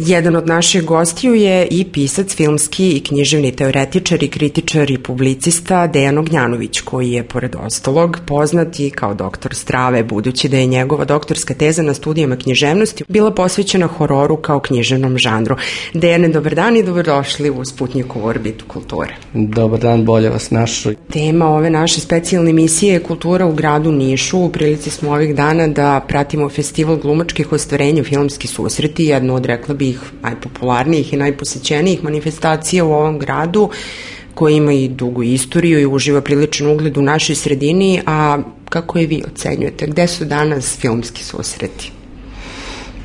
Jedan od naših gostiju je i pisac, filmski i književni teoretičar i kritičar i publicista Dejan Ognjanović, koji je, pored ostalog, poznat i kao doktor strave, budući da je njegova doktorska teza na studijama književnosti bila posvećena hororu kao književnom žanru. Dejane, dobar dan i dobrodošli u Sputnjikovu orbitu kulture. Dobar dan, bolje vas našli. Tema ove naše specijalne emisije je kultura u gradu Nišu. U prilici smo ovih dana da pratimo festival glumačkih ostvarenja Filmski susreti, jednu od, rekla bih, najpopularnijih i najposećenijih manifestacija u ovom gradu, koji ima i dugu istoriju i uživa priličan ugled u našoj sredini. A kako je vi ocenjujete? Gde su danas filmski susreti?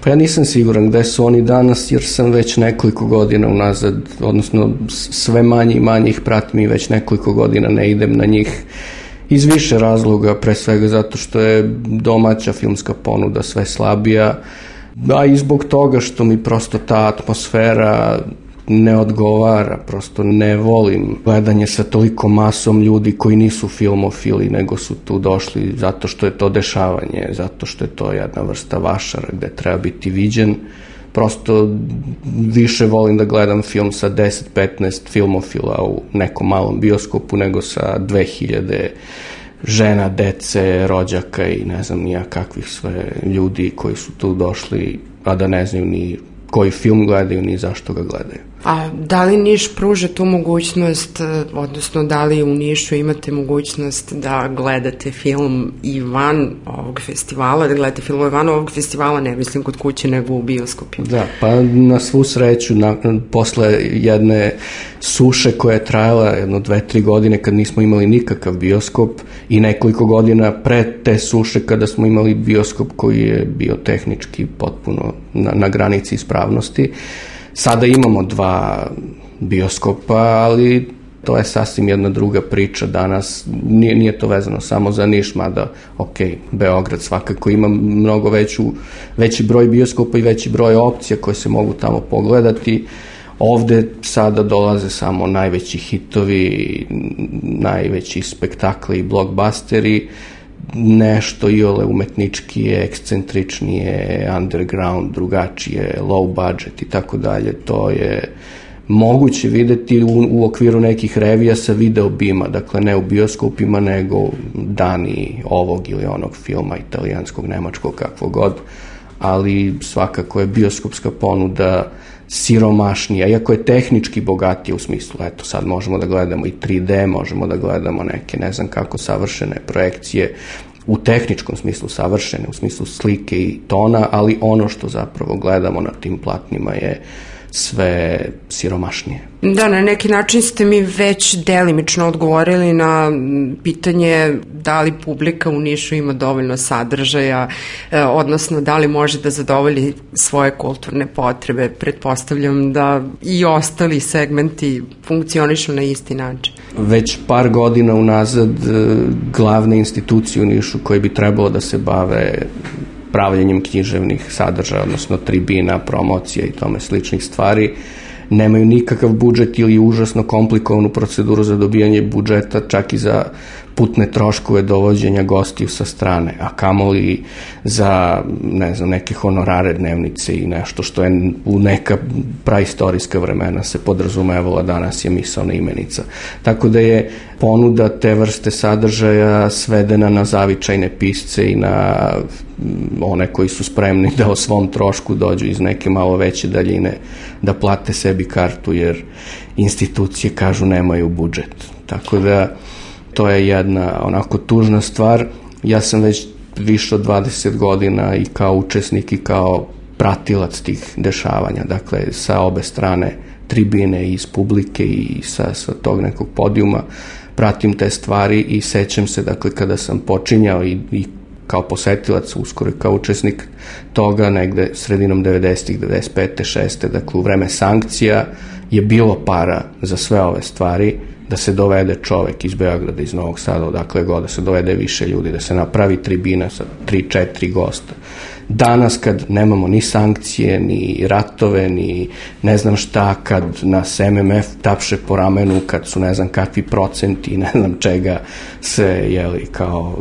Pa ja nisam siguran gde su oni danas, jer sam već nekoliko godina unazad, odnosno sve manje i manje ih pratim i već nekoliko godina ne idem na njih iz više razloga, pre svega zato što je domaća filmska ponuda sve slabija, a i zbog toga što mi prosto ta atmosfera ne odgovara, prosto ne volim gledanje sa toliko masom ljudi koji nisu filmofili, nego su tu došli zato što je to dešavanje, zato što je to jedna vrsta vašara gde treba biti viđen. Prosto više volim da gledam film sa 10-15 filmofila u nekom malom bioskopu nego sa 2000 žena, dece, rođaka i ne znam nija kakvih sve ljudi koji su tu došli, a da ne znaju ni koji film gledaju, ni zašto ga gledaju. A da li Niš pruža tu mogućnost, odnosno da li u Nišu imate mogućnost da gledate film i van ovog festivala, da gledate filmove van ovog festivala, ne mislim kod kuće nego u bioskopima? Da, pa na svu sreću, posle jedne suše koja je trajala jedno 2-3 godine kad nismo imali nikakav bioskop i nekoliko godina pre te suše kada smo imali bioskop koji je bio tehnički potpuno na granici ispravnosti. Sada imamo 2 bioskopa, ali to je sasvim jedna druga priča danas. Nije to vezano samo za Niš, mada, Beograd svakako ima mnogo veći broj bioskopa i veći broj opcija koje se mogu tamo pogledati. Ovde sada dolaze samo najveći hitovi, najveći spektakli i blockbusteri, nešto iole umetničkije, ekscentričnije, underground, drugačije, low budget i tako dalje. To je moguće videti u okviru nekih revija sa video bima, dakle ne u bioskopima, nego dani ovog ili onog filma, italijanskog, nemačkog, kakvog god, ali svakako je bioskopska ponuda siromašnija, iako je tehnički bogatija u smislu, eto sad možemo da gledamo i 3D, možemo da gledamo neke ne znam kako savršene projekcije, u tehničkom smislu savršene, u smislu slike i tona, ali ono što zapravo gledamo na tim platnima je sve siromašnije. Da, na neki način ste mi već delimično odgovorili na pitanje da li publika u Nišu ima dovoljno sadržaja, odnosno da li može da zadovolji svoje kulturne potrebe. Pretpostavljam da i ostali segmenti funkcionišu na isti način. Već par godina unazad glavne institucije u Nišu koje bi trebalo da se bave pravljenjem književnih sadržaja, odnosno tribina, promocija i tome sličnih stvari, nemaju nikakav budžet ili užasno komplikovanu proceduru za dobijanje budžeta, čak i za putne troškove dovođenja gostiju sa strane, a kamoli za, ne znam, neke honorare, dnevnice i nešto što je u neka praistorijska vremena se podrazumevalo, danas je misaona imenica. Tako da je ponuda te vrste sadržaja svedena na zavičajne pisce i na one koji su spremni da o svom trošku dođu iz neke malo veće daljine, da plate sebi kartu, jer institucije kažu nemaju budžet. Tako da to je jedna onako tužna stvar. Ja sam već više od 20 godina i kao učesnik i kao pratilac tih dešavanja, dakle sa obe strane tribine, iz publike i sa tog nekog podijuma pratim te stvari i sećam se, dakle, kada sam počinjao i kao posetilac, uskoro kao učesnik toga, negde sredinom 90-ih, 95. 6. dakle u vreme sankcija je bilo para za sve ove stvari, da se dovede čovek iz Beograda, iz Novog Sada, odakle god, da se dovede više ljudi, da se napravi tribina sa 3-4 gosta. Danas kad nemamo ni sankcije, ni ratove, ni ne znam šta, kad nas MMF tapše po ramenu, kad su ne znam kakvi procenti i ne znam čega se, jeli, kao,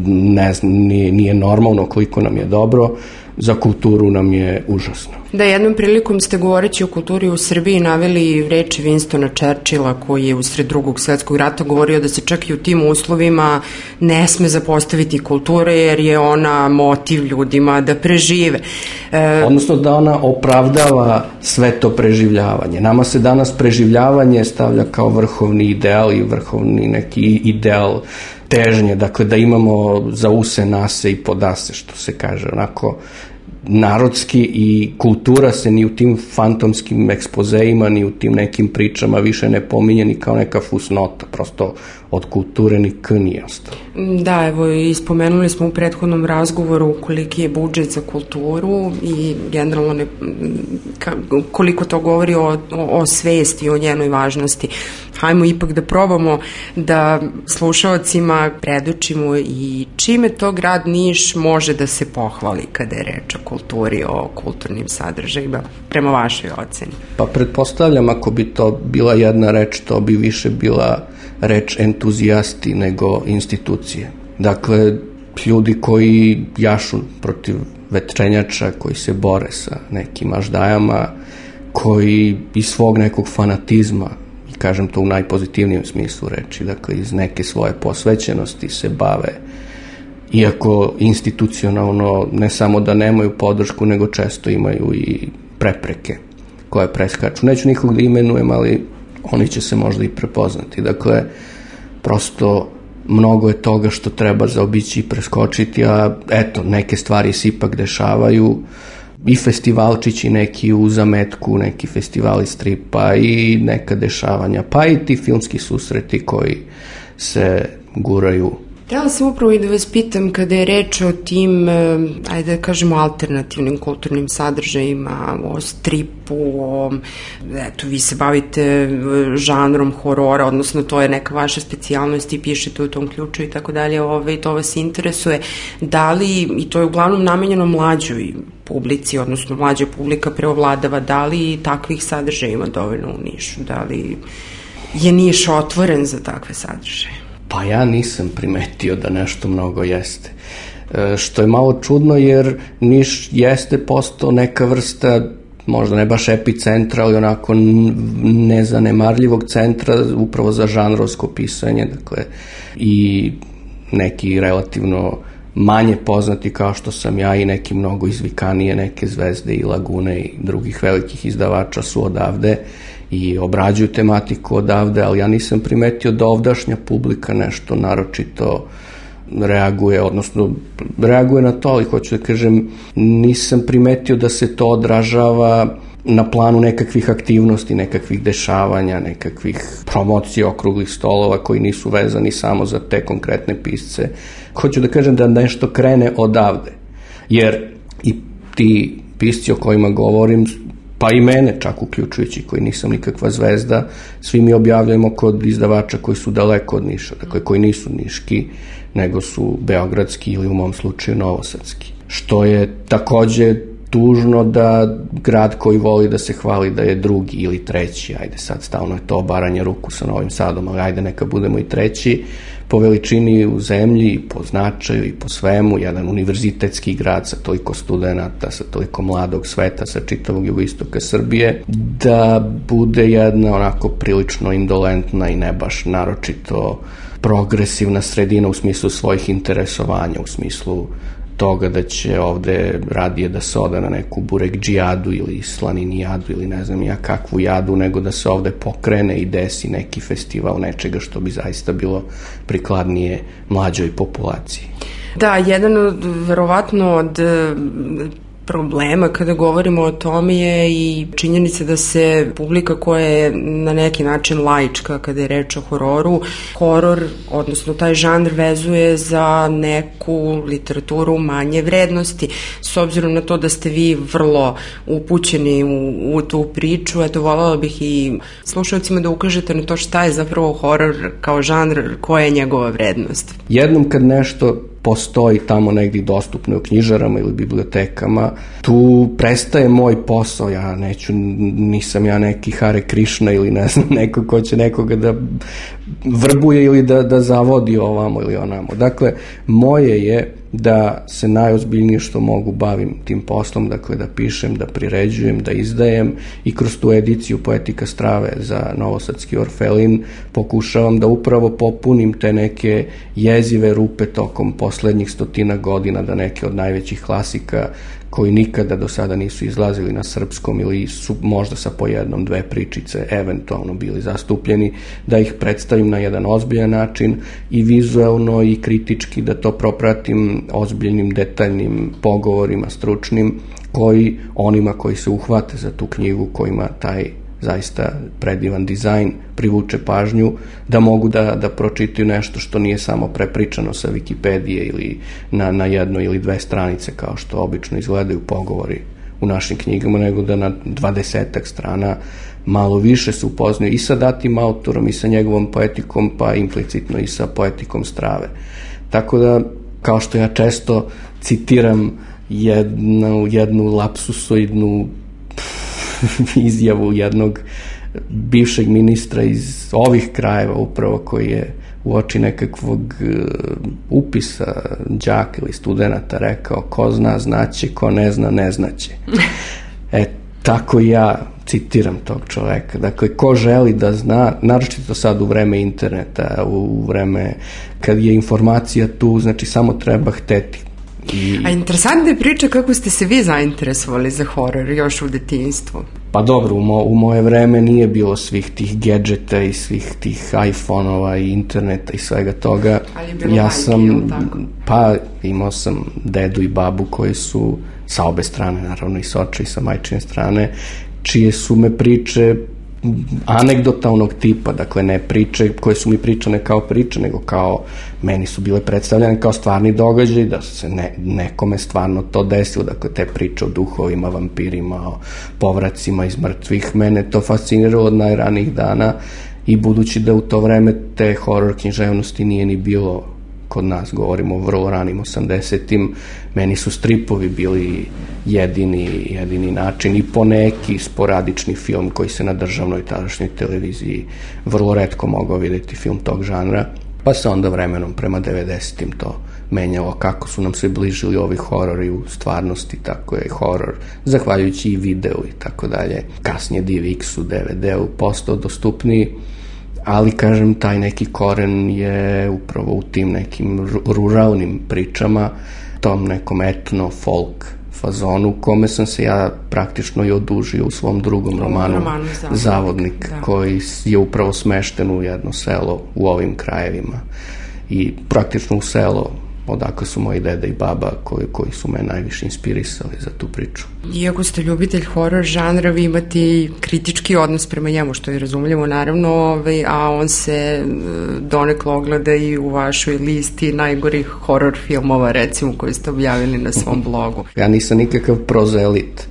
ne znam, nije normalno koliko nam je dobro, za kulturu nam je užasno. Da, jednom prilikom ste govoreći o kulturi u Srbiji naveli reči Winstona Churchilla koji je usred Drugog svetskog rata govorio da se čak i u tim uslovima ne sme zapostaviti kultura jer je ona motiv ljudima da prežive. Odnosno da ona opravdava sve to preživljavanje. Nama se danas preživljavanje stavlja kao vrhovni ideal i vrhovni neki ideal težnje, dakle da imamo za use, nase i podase, što se kaže, onako narodski, i kultura se ni u tim fantomskim ekspozeima, ni u tim nekim pričama više ne pominje ni kao neka fusnota, prosto od kulture ni k nije ostalo. Da, evo i spomenuli smo u prethodnom razgovoru koliki je budžet za kulturu i generalno koliko to govori o svesti, o njenoj važnosti. Hajmo ipak da probamo da slušaocima predočimo i čime to grad Niš može da se pohvali kada je reč o kulturi, o kulturnim sadržajima, prema vašoj oceni. Pa pretpostavljam, ako bi to bila jedna reč, to bi više bila reč entuzijasti nego institucije. Dakle, ljudi koji jašu protiv vetrenjača, koji se bore sa nekim aždajama, koji iz svog nekog fanatizma, kažem to u najpozitivnijem smislu reči, dakle iz neke svoje posvećenosti se bave, iako institucionalno ne samo da nemaju podršku, nego često imaju i prepreke koje preskaču. Neću nikog da imenujem, ali oni će se možda i prepoznati. Dakle, prosto mnogo je toga što treba zaobići i preskočiti, a eto, neke stvari se ipak dešavaju, i festivalčići neki u zametku, neki festivali stripa i neka dešavanja, pa i ti filmski susreti koji se guraju. Htjela sam upravo i da vas pitam kada je reč o tim, ajde da kažemo, alternativnim kulturnim sadržajima, o stripu, eto, vi se bavite žanrom horora, odnosno to je neka vaša specijalnost i pišete u tom ključu i tako dalje, i to vas interesuje. Da li, i to je uglavnom namenjeno mlađoj publici, odnosno mlađa publika preovladava, da li takvih sadržaja ima dovoljno u Nišu? Da li je Niš otvoren za takve sadržaje? Pa ja nisam primetio da nešto mnogo jeste. Što je malo čudno, jer Niš jeste postao neka vrsta, možda ne baš epicentra, ali onako nezanemarljivog centra upravo za žanrovsko pisanje, dakle, i neki relativno manje poznati kao što sam ja i neki mnogo izvikanije, neke Zvezde i Lagune i drugih velikih izdavača su odavde i obrađuju tematiku odavde, ali ja nisam primetio da ovdašnja publika nešto naročito reaguje, odnosno reaguje na to, ali hoću da kažem, nisam primetio da se to odražava na planu nekakvih aktivnosti, nekakvih dešavanja, nekakvih promocija, okruglih stolova koji nisu vezani samo za te konkretne pisce. Hoću da kažem da nešto krene odavde, jer i ti pisci o kojima govorim, pa i mene čak uključujući, koji nisam nikakva zvezda, svi mi objavljujemo kod izdavača koji su daleko od Niša, dakle koji nisu niški, nego su beogradski ili u mom slučaju novosadski. Što je takođe tužno da grad koji voli da se hvali da je drugi ili treći, ajde sad stalno je to obaranje ruku sa Novim Sadom, ali ajde neka budemo i treći po veličini u zemlji i po značaju i po svemu, jedan univerzitetski grad sa toliko studenata, sa toliko mladog sveta, sa čitavog jugoistoka Srbije, da bude jedna onako prilično indolentna i ne baš naročito progresivna sredina u smislu svojih interesovanja, u smislu toga da će ovde radije da se ode na neku burek džijadu ili slaninijadu ili ne znam ja kakvu jadu, nego da se ovde pokrene i desi neki festival nečega što bi zaista bilo prikladnije mlađoj populaciji. Da, jedan od, verovatno od problema kada govorimo o tome je i činjenica da se publika koja je na neki način laička kada je reč o hororu, horor, odnosno taj žanr vezuje za neku literaturu manje vrednosti. S obzirom na to da ste vi vrlo upućeni u tu priču, eto, voljela bih i slušalcima da ukažete na to šta je zapravo horor kao žanr, koja je njegova vrednost. Jednom kad nešto postoji tamo negdje dostupno u knjižarama ili bibliotekama, tu prestaje moj posao, nisam ja neki Hare Krishna ili ne znam, neko ko će nekoga da vrbuje ili da zavodi ovamo ili onamo. Dakle, moje je da se najozbiljnije što mogu bavim tim poslom, dakle da pišem, da priređujem, da izdajem i kroz tu ediciju Poetika strave za Novosadski Orfelin pokušavam da upravo popunim te neke jezive rupe tokom poslednjih 100 godina, da neke od najvećih klasika koji nikada do sada nisu izlazili na srpskom ili su možda sa po jednom, dve pričice eventualno bili zastupljeni, da ih predstavim na jedan ozbiljan način i vizuelno i kritički, da to propratim ozbiljnim, detaljnim pogovorima, stručnim, koji onima koji se uhvate za tu knjigu, kojima taj zaista predivan dizajn privuče pažnju, da mogu da pročitaju nešto što nije samo prepričano sa Wikipedije ili na jedno ili dve stranice kao što obično izgledaju pogovori u našim knjigama, nego da na 20 strana malo više se upoznaju i sa datim autorom i sa njegovom poetikom, pa implicitno i sa poetikom strave. Tako da, kao što ja često citiram jednu lapsusoidnu izjavu jednog bivšeg ministra iz ovih krajeva upravo, koji je uoči nekakvog upisa đaka ili studenata rekao: ko zna znaće, ko ne zna ne znaće. Tako ja citiram tog čoveka. Dakle, ko želi da zna, naročito sad u vreme interneta, u vreme kad je informacija tu, znači samo treba hteti. A interesantna je priča kako ste se vi zainteresovali za horor još u detinjstvu. Pa dobro, u moje vreme nije bilo svih tih gadžeta i svih tih iPhone-ova i interneta i svega toga. Ali je bilo tako? Pa imao sam dedu i babu koji su sa obe strane, naravno i s oče i sa majčine strane, čije su me priče anegdotalnog tipa, dakle ne priče koje su mi pričane kao priče, nego kao meni su bile predstavljene kao stvarni događaj, da se nekome stvarno to desilo, dakle te priče o duhovima, vampirima, o povracima iz mrtvih, mene to fasciniralo od najranijih dana i budući da u to vreme te horor književnosti nije ni bilo kod nas, govorimo o vrlo ranim 80-im, meni su stripovi bili jedini način i poneki sporadični film koji se na državnoj tadašnjoj televiziji vrlo retko mogao vidjeti, film tog žanra, pa se onda vremenom prema 90-im to menjalo, kako su nam se bližili ovi horori u stvarnosti, tako je horor, zahvaljujući i videu i tako dalje, kasnije DivX-u, DVD-u postao dostupniji. Ali, kažem, taj neki koren je upravo u tim nekim ruralnim pričama, tom nekom etno-folk fazonu, kome sam se ja praktično i odužio u svom drugom romanu Zavodnik, koji je upravo smešten u jedno selo u ovim krajevima i praktično u selo odakle su moji deda i baba koji su me najviše inspirisali za tu priču. Iako ste ljubitelj horor žanra, vi imate i kritički odnos prema njemu, što je razumljivo naravno, a on se donekle ogleda i u vašoj listi najgorih horor filmova, recimo, koji ste objavili na svom blogu. Ja nisam nikakav prozelit.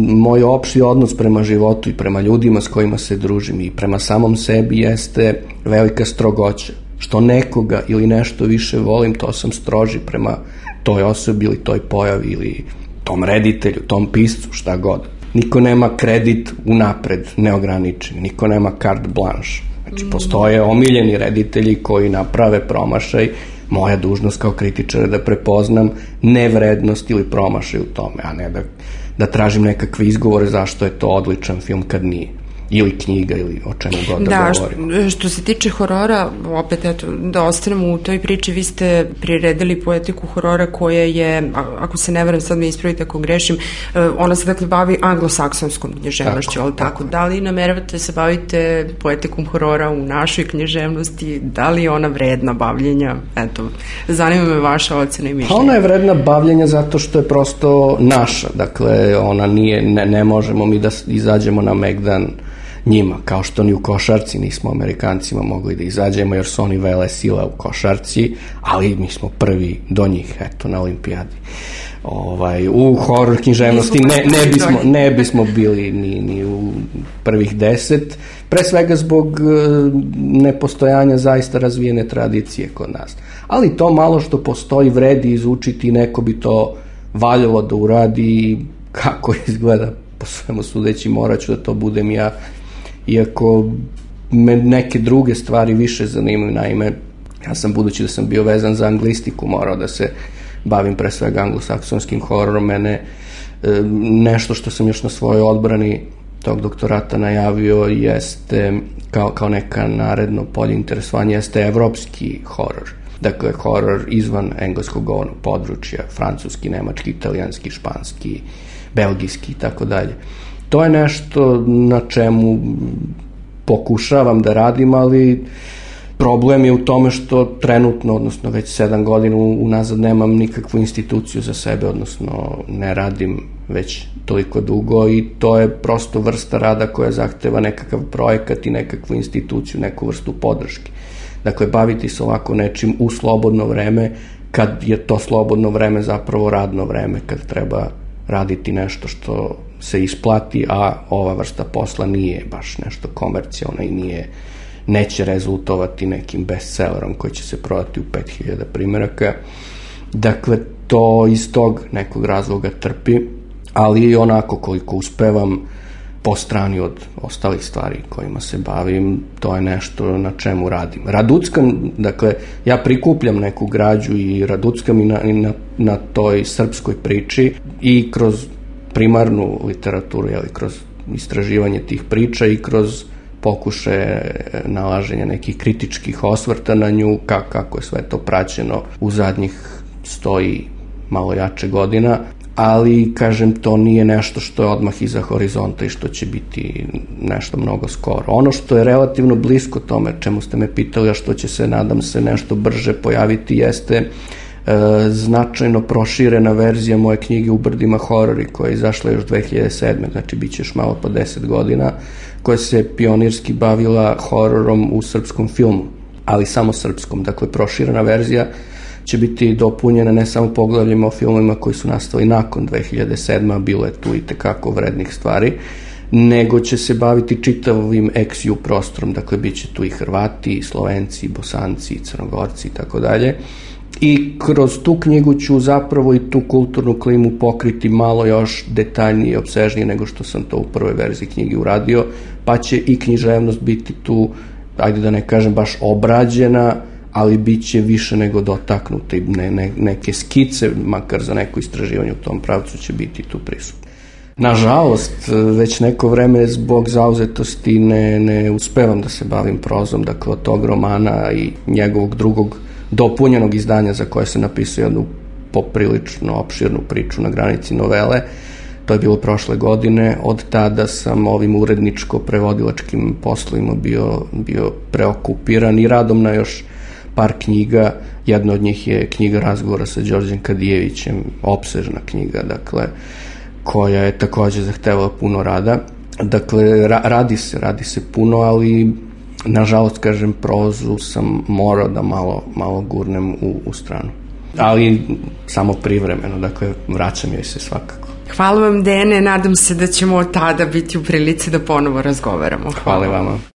Moj opšti odnos prema životu i prema ljudima s kojima se družim i prema samom sebi jeste velika strogoća. Što nekoga ili nešto više volim, to sam stroži prema toj osobi ili toj pojavi ili tom reditelju, tom piscu, šta god. Niko nema kredit unapred, neograničen, niko nema carte blanche. Znači, postoje omiljeni reditelji koji naprave promašaj. Moja dužnost kao kritičara da prepoznam nevrednost ili promašaj u tome, a ne da tražim nekakve izgovore zašto je to odličan film kad nije. Ili knjiga, ili o čemu god da govorimo. Da, što se tiče horora, opet, eto, da ostanemo u toj priči, vi ste priredili poetiku horora koja je, ako se ne varam, sad me ispravite ako grešim, ona se dakle bavi anglosaksonskom književnošću, ali tako? Da li nameravate se bavite poetikom horora u našoj književnosti? Da li je ona vredna bavljenja? Eto, zanima me vaša ocena i mišljenja. Ona je vredna bavljenja zato što je prosto naša, dakle, ona nije, ne možemo mi da izađemo na Megdan njima, kao što ni u košarci nismo Amerikancima mogli da izađemo jer su oni vele sila u košarci, ali mi smo prvi do njih, eto, na olimpijadi. U horor književnosti ne bismo bili ni u prvih 10, pre svega zbog nepostojanja zaista razvijene tradicije kod nas. Ali to malo što postoji vredi izučiti, neko bi to valjalo da uradi, kako izgleda, po svemu sudeći morat ću da to budem ja, iako me neke druge stvari više zanimaju. Naime, ja sam, budući da sam bio vezan za anglistiku, morao da se bavim pre svega anglosaksonskim hororom. Mene nešto što sam još na svojoj odbrani tog doktorata najavio jeste kao neka naredno polje interesovanja jeste evropski horor. Dakle, horor izvan engleskog govornog područja, francuski, nemački, italijanski, španski, belgijski i tako dalje. To je nešto na čemu pokušavam da radim, ali problem je u tome što trenutno, odnosno već 7 godina unazad nemam nikakvu instituciju za sebe, odnosno ne radim već toliko dugo i to je prosto vrsta rada koja zahteva nekakav projekat i nekakvu instituciju, neku vrstu podrške. Dakle, baviti se ovako nečim u slobodno vreme, kad je to slobodno vreme zapravo radno vreme, kad treba raditi nešto što se isplati, a ova vrsta posla nije baš nešto komercijalno i neće rezultovati nekim bestsellerom koji će se prodati u 5000 primjeraka. Dakle, to iz tog nekog razloga trpi, ali onako koliko uspevam po strani od ostalih stvari kojima se bavim, to je nešto na čemu radim. Raduckam, dakle, ja prikupljam neku građu i raduckam i na toj srpskoj priči i kroz primarnu literaturu, kroz istraživanje tih priča i kroz pokušaje nalaženja nekih kritičkih osvrta na nju, kako je sve to praćeno u zadnjih 100 i malo jače godina, ali, kažem, to nije nešto što je odmah iza horizonta i što će biti nešto mnogo skoro. Ono što je relativno blisko tome, čemu ste me pitali, a što će se, nadam se, nešto brže pojaviti, jeste značajno proširena verzija moje knjige U brdima horori, koja je izašla još 2007. Znači, bit će još malo po 10 godina, koja se pionirski bavila hororom u srpskom filmu, ali samo srpskom. Dakle, proširena verzija će biti dopunjena ne samo poglavljima o filmovima koji su nastali nakon 2007. a bilo je tu i tekako vrednih stvari, nego će se baviti čitavim ex-ju prostorom. Dakle, bit će tu i Hrvati, i Slovenci, i Bosanci, i Crnogorci i tako dalje. I kroz tu knjigu ću zapravo i tu kulturnu klimu pokriti malo još detaljnije i opsežnije nego što sam to u prvoj verziji knjige uradio, pa će i književnost biti tu, ajde da ne kažem baš obrađena, ali bit će više nego dotaknuta i neke skice, makar za neko istraživanje u tom pravcu će biti tu prisutne. Nažalost, već neko vreme zbog zauzetosti ne uspevam da se bavim prozom, dakle od tog romana i njegovog drugog dopunjenog izdanja za koje se napisao jednu poprilično opširnu priču na granici novele. To je bilo prošle godine. Od tada sam ovim uredničko-prevodilačkim poslovima bio preokupiran i radom na još par knjiga. Jedna od njih je knjiga razgovora sa Đorđem Kadijevićem, opsežna knjiga, dakle, koja je također zahtevala puno rada. Dakle, radi se puno, ali nažalost, kažem, prozu sam morao da malo gurnem u stranu. Ali samo privremeno, dakle, vraćam joj se svakako. Hvala vam, Dejane, nadam se da ćemo od tada biti u prilici da ponovo razgovaramo. Hvala vama.